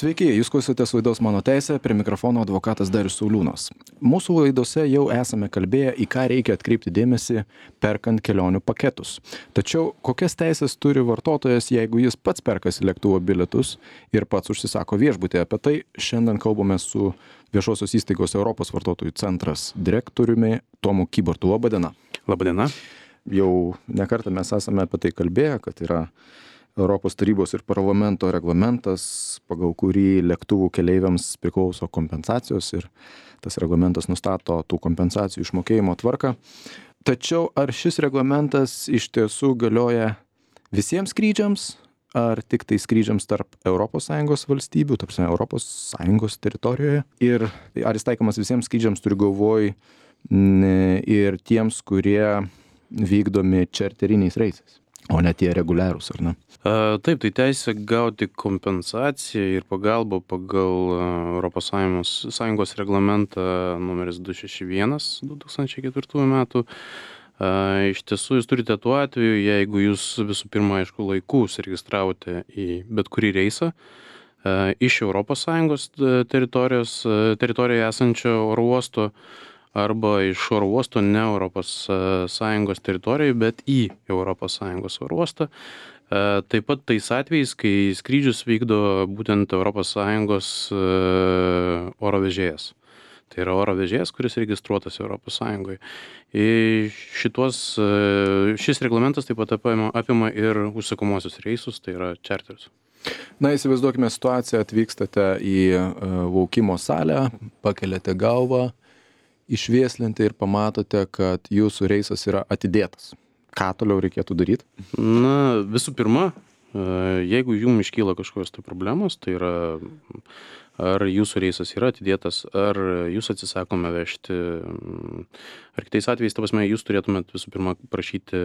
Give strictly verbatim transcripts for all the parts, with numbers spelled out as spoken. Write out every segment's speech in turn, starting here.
Sveiki, jūs klausotės laidos Mano teisė, prie mikrofono advokatas Darius Sauliūnas. Mūsų laidose jau esame kalbėję, į ką reikia atkreipti dėmesį, perkant kelionių paketus. Tačiau kokias teisės turi vartotojas, jeigu jis pats perkasi lėktuvo bilietus ir pats užsisako viešbutį? Apie tai šiandien kalbame su viešosios įstaigos Europos vartotojų centras direktoriumi Tomu Kybartu. Labą dieną. Labą dieną. Jau nekartą mes esame apie tai kalbėję, kad yra Europos tarybos ir parlamento reglamentas, pagal kurį lėktuvų keleiviams priklauso kompensacijos ir tas reglamentas nustato tų kompensacijų išmokėjimo tvarką. Tačiau ar šis reglamentas iš tiesų galioja visiems skrydžiams, ar tik tai skrydžiams tarp Europos Sąjungos valstybių, tarp Europos Sąjungos teritorijoje? Ir ar jis taikomas visiems skrydžiams, turiu galvoj, ir tiems, kurie vykdomi čarteriniais reisais, o ne tie reguliarūs, ar ne? A, taip, tai teisė gauti kompensaciją ir pagalbą pagal Europos Sąjungos, Sąjungos reglamentą numeris du šeši vienas du tūkstančiai ketvirtųjų metų. A, iš tiesų, jūs turite tuo atveju, jeigu jūs visų pirma, aišku, laiku užsiregistravote į bet kurį reisą a, iš Europos Sąjungos teritorijos, teritorijoje esančio oro uosto, arba iš oro uosto ne Europos Sąjungos teritorijoje, bet į Europos Sąjungos oro uostą. Taip pat tais atvejais, kai skrydžius vykdo būtent Europos Sąjungos oro vežėjas. Tai yra oro vežėjas, kuris registruotas Europos Sąjungoje. Ir šitos, šis reglamentas taip pat apima, apima ir užsakomosius reisus, tai yra čarterius. Na, įsivaizduokime situaciją, atvykstate į laukimo salę, pakeliate galvą, išvieslinti ir pamatote, kad jūsų reisas yra atidėtas. Ką toliau reikėtų daryti? Na, visų pirma, jeigu jums iškyla kažkokios tai problemos, tai yra, ar jūsų reisas yra atidėtas, ar jūs atsisakome vežti, ar kitais atvejais, ta prasme, jūs turėtumėt visų pirma prašyti,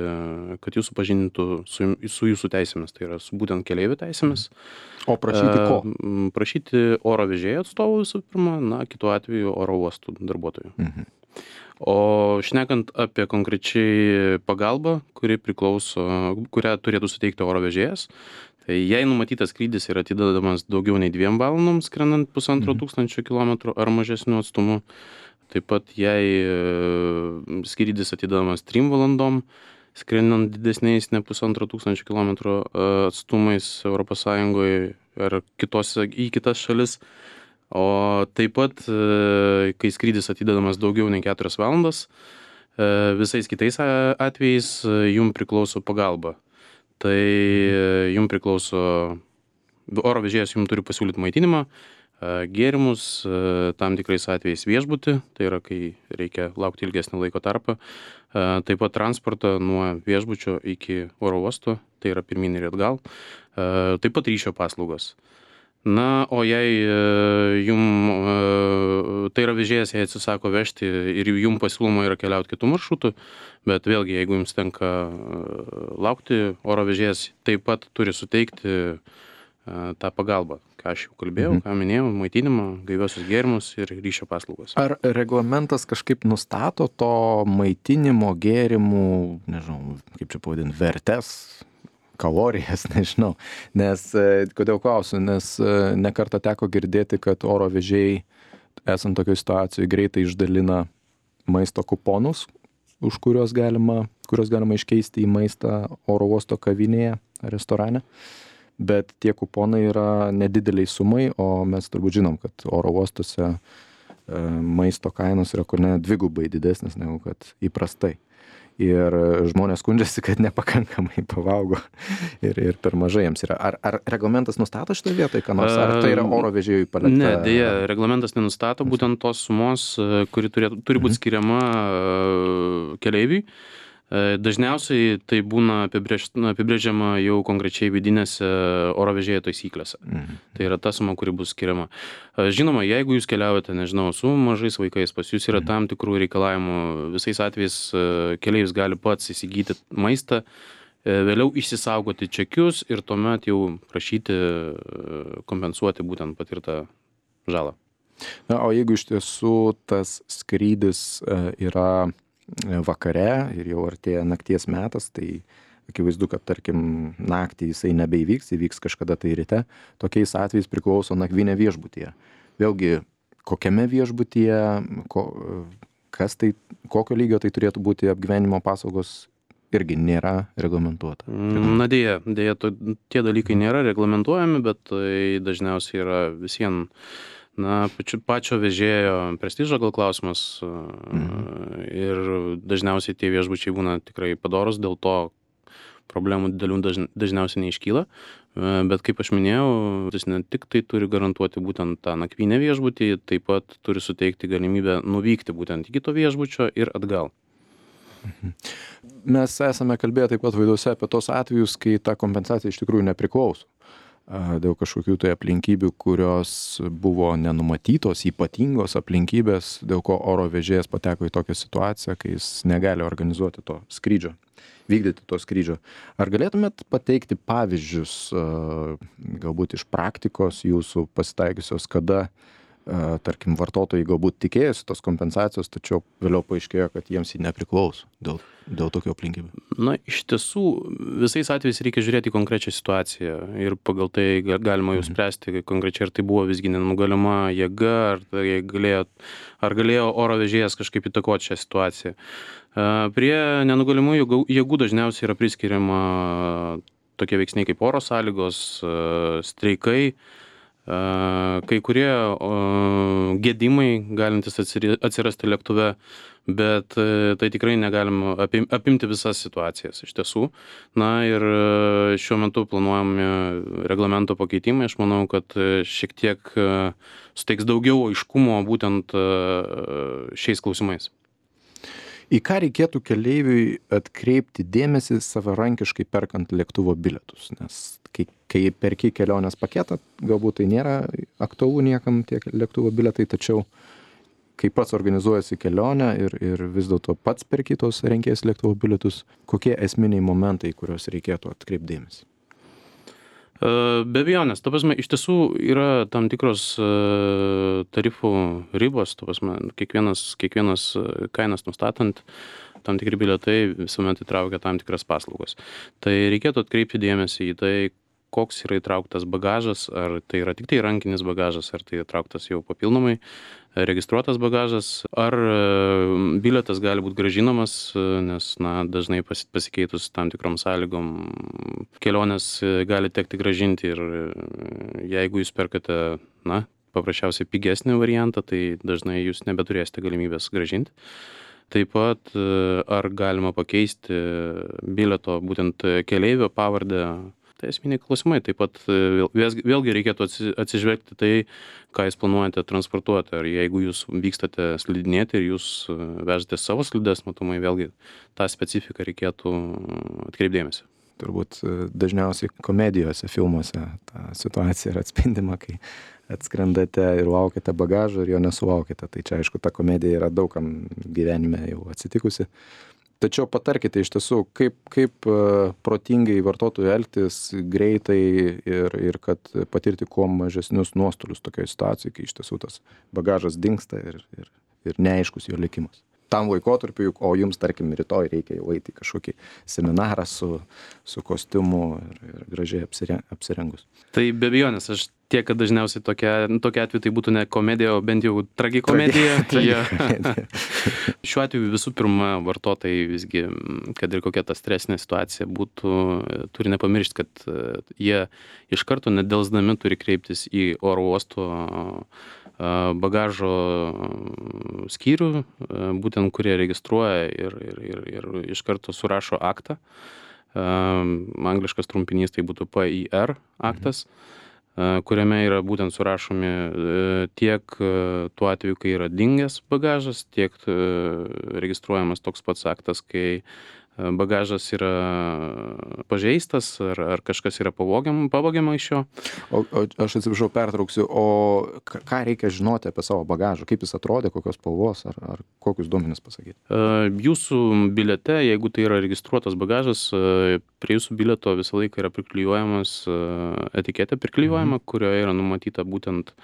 kad jūs supažindintų su, su jūsų teisėmis, tai yra su būtent keleivių teisėmis. O prašyti ko? Prašyti oro vežėjo atstovų visų pirma, na, kitu atveju oro uostų darbuotojų. Mhm. O šnekant apie konkrečiai pagalbą, kuri priklauso, kurią turėtų suteikti oro vežėjas, tai jei numatytas skrydis yra atidedamas daugiau nei dviem valandom, skrendant pusantro mhm. tūkstančio kilometrų ar mažesniu atstumu, taip pat jei skrydis atidedamas trim valandom, skrendant didesniais ne pusantro tūkstančio kilometrų atstumais Europos Sąjungoje ar kitose, į kitas šalis, o taip pat, kai skrydis atidedamas daugiau nei keturias valandas, visais kitais atvejais jums priklauso pagalba. Tai jums priklauso, oro vežėjas jums turi pasiūlyti maitinimą, gėrimus, tam tikrais atvejais viešbutį, tai yra, kai reikia laukti ilgesnį laiko tarpą, taip pat transportą nuo viešbučio iki oro uosto, tai yra pirmyn ir atgal, taip pat ryšio paslaugos. Na, o jei jum, tai yra vežėjas, jei atsisako vežti ir jum pasiūloma yra keliauti kitų maršrutų, bet vėlgi, jeigu jums tenka laukti, oro vežėjas taip pat turi suteikti tą pagalbą, ką aš jau kalbėjau, mhm. ką minėjau, maitinimą, gaiviosius gėrimus ir ryšio paslaugas. Ar reglamentas kažkaip nustato to maitinimo, gėrimų, nežinau, kaip čia pavadinti, vertes, kalorijas, nežinau, nes, kodėl klausiu, nes nekartą teko girdėti, kad oro vežėjai, esant tokioje situacijoje, greitai išdalina maisto kuponus, už kuriuos galima, kuriuos galima iškeisti į maistą oro uosto kavinėje, restorane, bet tie kuponai yra nedideliai sumai, o mes turbūt žinom, kad oro uostuose maisto kainos yra kur ne dvigubai didesnės negu kad įprastai. Ir žmonės skundžiasi, kad nepakankamai pavalgo ir, ir per mažai jiems yra. Ar, ar reglamentas nustato šitą vietą, ką nors, ar tai yra oro vežėjui palikta? Ne, dėja, reglamentas nenustato būtent tos sumos, kuri turi, turi būti skiriama keleiviui. Dažniausiai tai būna apibrėž, apibrėžiama jau konkrečiai vidinėse oro vežėjo taisyklėse. Mhm. Tai yra ta suma, kuri bus skiriama. Žinoma, jeigu jūs keliaujate, nežinau, su mažais vaikais, pas jūs yra tam tikrų reikalavimų, visais atvejais keleivis gali pats įsigyti maistą, vėliau išsisaugoti čekius ir tuomet jau prašyti kompensuoti būtent patirtą žalą. Na, o jeigu iš tiesų tas skrydis yra vakare ir jau artėja nakties metas, tai akivaizdu, kad tarkim naktį jisai nebeįvyks, įvyks kažkada tai ryte, tokiais atvejais priklauso nakvynė viešbutyje. Vėlgi, kokiame viešbutyje, ko, kas tai, kokio lygio tai turėtų būti apgyvenimo paslaugos, irgi nėra reglamentuota. Na dėja, dėja to, tie dalykai nėra reglamentuojami, bet tai dažniausiai yra visien, na, pačio, pačio vežėjo prestižo gal klausimas mhm. ir dažniausiai tie viešbučiai būna tikrai padorus, dėl to problemų didelių dažn, dažniausiai neiškyla, bet kaip aš minėjau, jis ne tik tai turi garantuoti būtent tą nakvynę viešbutį, taip pat turi suteikti galimybę nuvykti būtent į kito viešbučio ir atgal. Mes esame kalbėję taip pat vaidose apie tos atvejus, kai ta kompensacija iš tikrųjų nepriklauso dėl kažkokių tai aplinkybių, kurios buvo nenumatytos, ypatingos aplinkybės, dėl ko oro vežėjas pateko į tokią situaciją, kai jis negali organizuoti to skrydžio, vykdyti to skrydžio. Ar galėtumėt pateikti pavyzdžius, galbūt iš praktikos jūsų pasitaikiusios, kada tarkim, vartotojai galbūt tikėjosi tos kompensacijos, tačiau vėliau paaiškėjo, kad jiems jį nepriklauso dėl, dėl tokių aplinkybių? Na, iš tiesų, visais atvejais reikia žiūrėti į konkrečią situaciją ir pagal tai galima jau spręsti konkrečiai, ar tai buvo visgi nenugalima jėga, ar, tai galėjo, ar galėjo oro vežėjas kažkaip įtakoti šią situaciją. Prie nenugalimų jėgų dažniausiai yra priskiriama tokie veiksniai kaip oro sąlygos, streikai, kai kurie gedimai galintys atsirasti lėktuve, bet tai tikrai negalim apimti visas situacijas iš tiesų. Na ir šiuo metu planuojami reglamento pakeitimai, aš manau, kad šiek tiek suteiks daugiau aiškumo būtent šiais klausimais. Į ką reikėtų keleiviui atkreipti dėmesį savarankiškai perkant lėktuvo bilietus? Nes kai, kai perki kelionės paketą, galbūt tai nėra aktualu niekam tie lėktuvo bilietai, tačiau kai pats organizuojasi kelionę ir, ir vis dėlto pats perki tos renkės lėktuvo bilietus, kokie esminiai momentai, kuriuos reikėtų atkreipti dėmesį? Be abejonės, ta prasme, iš tiesų yra tam tikros tarifų ribos, ta prasme, kiekvienas, kiekvienas kainas nustatant, tam tikri bilietai visuomet įtraukia tam tikras paslaugos. Tai reikėtų atkreipti dėmesį į tai, koks yra įtrauktas bagažas, ar tai yra tik tai rankinis bagažas, ar tai įtrauktas jau papildomai registruotas bagažas, ar bilietas gali būti grąžinamas, nes na, dažnai pasikeitus tam tikrom sąlygom kelionės gali tekti grąžinti ir jeigu jūs perkate, na, paprasčiausiai pigesnį variantą, tai dažnai jūs nebeturėsite galimybės grąžinti. Taip pat ar galima pakeisti bilieto būtent keleivio pavardę. Tai esminiai klausimai. Taip pat vėlgi reikėtų atsižvelgti tai, ką jūs planuojate transportuoti. Ar jeigu jūs vykstate slidinėti ir jūs vežate savo slides, matomai vėlgi tą specifiką reikėtų atkreipdėmėsi. Turbūt dažniausiai komedijose, filmuose ta situacija yra atspindima, kai atskrendate ir laukiate bagažo ir jo nesulaukite. Tai čia aišku, ta komedija yra daugam gyvenime jau atsitikusi. Tačiau patarkite iš tiesų, kaip, kaip protingai vartotojui elgtis greitai ir, ir kad patirti kuo mažesnius nuostolius tokioje situacijoje, kai iš tiesų tas bagažas dingsta ir, ir, ir neaiškus jo likimas. Tam laikotarpiu, o jums, tarkim, rytoj reikia jau eiti į kažkokį seminarą su, su kostiumu ir, ir gražiai apsire, apsirengus. Tai be abejonės, aš tiek, kad dažniausiai tokia, tokia atveju tai būtų ne komedija, o bent jau tragikomedija. Tragikomedija. Šiuo atveju visų pirma vartotojai visgi, kad ir kokia ta stresinė situacija būtų, turi nepamiršti, kad jie iš karto nedelsdami turi kreiptis į oro uosto bagažo skyrių, būtent kurie registruoja ir, ir, ir, ir iš karto surašo aktą. Angliškas trumpinys tai būtų P I R aktas, kuriame yra būtent surašomi tiek tuo atveju, kai yra dingęs bagažas, tiek registruojamas toks pats aktas, kai bagažas yra pažeistas ar, ar kažkas yra pavogiama, pavogiama iš jo. O, o aš atsiprašau, pertrauksiu, o ką reikia žinoti apie savo bagažą, kaip jis atrodė, kokios spalvos ar, ar kokius duomenis pasakyti? Jūsų biliete, jeigu tai yra registruotas bagažas, prie jūsų bilieto visą laiką yra priklijuojamas etiketė, priklijuojama, mhm. kurioje yra numatyta būtent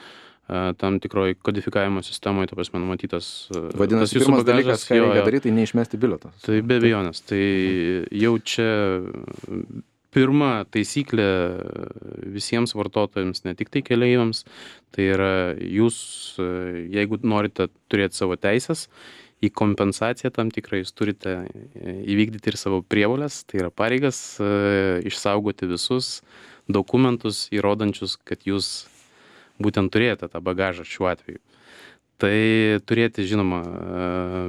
tam tikroj kodifikavimo sistemoje, ta prasme, numatytas. Vadinasi, pirmas dalykas, ką reikia daryti, tai neišmesti bilieto. Tai be abejonės. Tai jau čia pirma taisyklė visiems vartotojams, ne tik tai keleiviams, tai yra jūs, jeigu norite turėti savo teisės, į kompensaciją tam tikrą jūs turite įvykdyti ir savo prievolės, tai yra pareigas išsaugoti visus dokumentus įrodančius, kad jūs būtent turėjote tą bagažą šiuo atveju. Tai turėti, žinoma,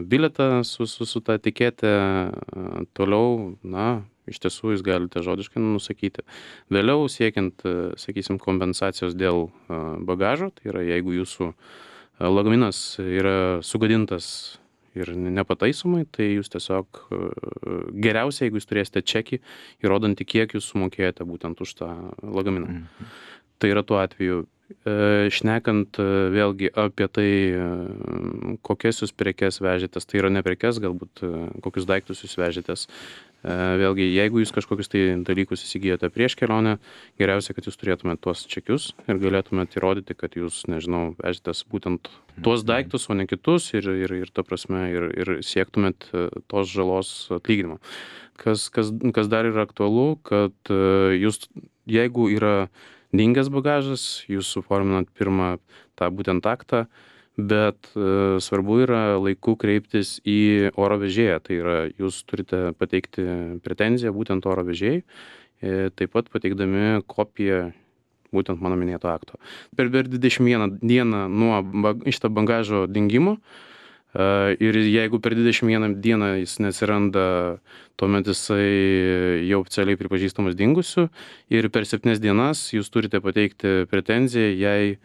bilietą su, su, su tą etiketę, toliau, na, iš tiesų jūs galite žodiškai nusakyti. Vėliau siekiant, sakysim, kompensacijos dėl bagažo, tai yra jeigu jūsų lagaminas yra sugadintas ir nepataisomai, tai jūs tiesiog geriausia, jeigu jūs turėsite čekį, įrodantį, kiek jūs sumokėjote būtent už tą lagaminą. Mhm. Tai yra tuo atveju. Šnekant vėlgi apie tai, kokias jūs prekes vežėtės, tai yra ne prekes, galbūt kokius daiktus jūs vežėtės. Vėlgi, jeigu jūs kažkokius tai dalykus įsigijote prieš kelionę, geriausia, kad jūs turėtumėte tuos čekius ir galėtumėte įrodyti, kad jūs, nežinau, vežėtės būtent tuos daiktus, o ne kitus ir, ir, ir ta prasme, ir, ir siektumėt tos žalos atlyginimo. Kas, kas, kas dar yra aktualu, kad jūs, jeigu yra dingęs bagažas, jūs suforminat pirmą tą būtent aktą, bet e, svarbu yra laiku kreiptis į oro vežėją, tai yra jūs turite pateikti pretenziją būtent oro vežėjai, e, taip pat pateikdami kopiją būtent mano minėto akto. Per, per dvidešimt vieną dieną nuo bag, šito bagažo dingimo e, ir jeigu per dvidešimt vieną dieną jis neatsiranda, tuomet jisai jau oficialiai pripažįstamas dingusiu ir per septynias dienas jūs turite pateikti pretenziją, jei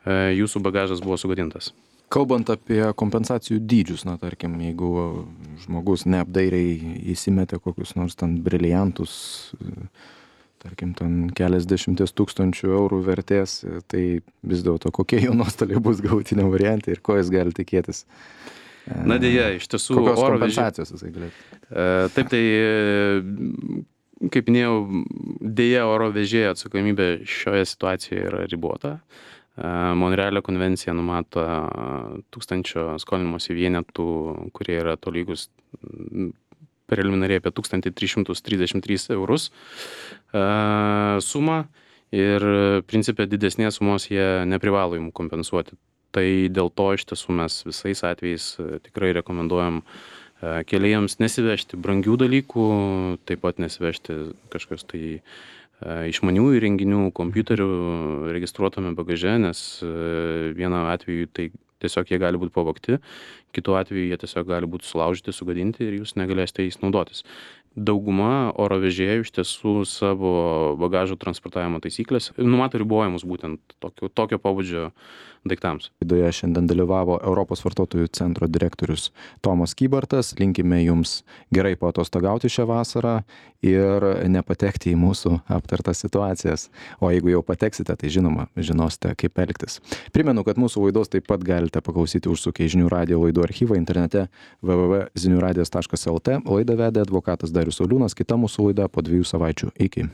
jūsų bagažas buvo sugadintas. Kalbant apie kompensacijų dydžius, na tarkim, jeigu žmogus neapdairiai įsimetė kokius nors ten briliantus, tarkim, ten keliasdešimties tūkstančių eurų vertės, tai vis dėlto kokie jo nuostoliai bus galutinio variante ir ko jis gali tikėtis? Na dėja, iš tiesų, kokios oro kompensacijos jisai galėtų? Taip, tai, kaip minėjau, dėja oro vežėjo atsakomybė šioje situacijoje yra ribota. Monrealio konvencija numato tūkstančio skolinimosi vienetų, kurie yra tolygus preliminariai apie tūkstantį tris šimtus trisdešimt tris eurus sumą ir principė didesnės sumos jie neprivalo jums kompensuoti. Tai dėl to iš tiesų mes visais atvejais tikrai rekomenduojam keleiviams nesivežti brangių dalykų, taip pat nesivežti kažkas tai išmanių įrenginių, kompiuterių registruotame bagaže, nes vienu atveju tai tiesiog jie gali būti pavogti, kitu atveju jie tiesiog gali būti sulaužyti, sugadinti ir jūs negalėsite jais naudotis. Dauguma oro vežėjų iš tiesų savo bagažo transportavimo taisyklės numato ribojimus būtent tokio, tokio pobūdžio daiktams. Laidoje šiandien dalyvavo Europos vartotojų centro direktorius Tomas Kybartas. Linkime jums gerai paatostogauti šią vasarą ir nepatekti į mūsų aptartas situacijas. O jeigu jau pateksite, tai žinoma, žinosite, kaip elgtis. Primenu, kad mūsų laidos taip pat galite paklausyti užsukę į Žinių radijo laidų archyvą internete w w w taškas zinių radijas taškas l t. Laidą vedė advokatas Darius Sauliūnas, kita mūsų laida po dviejų savaičių. Iki.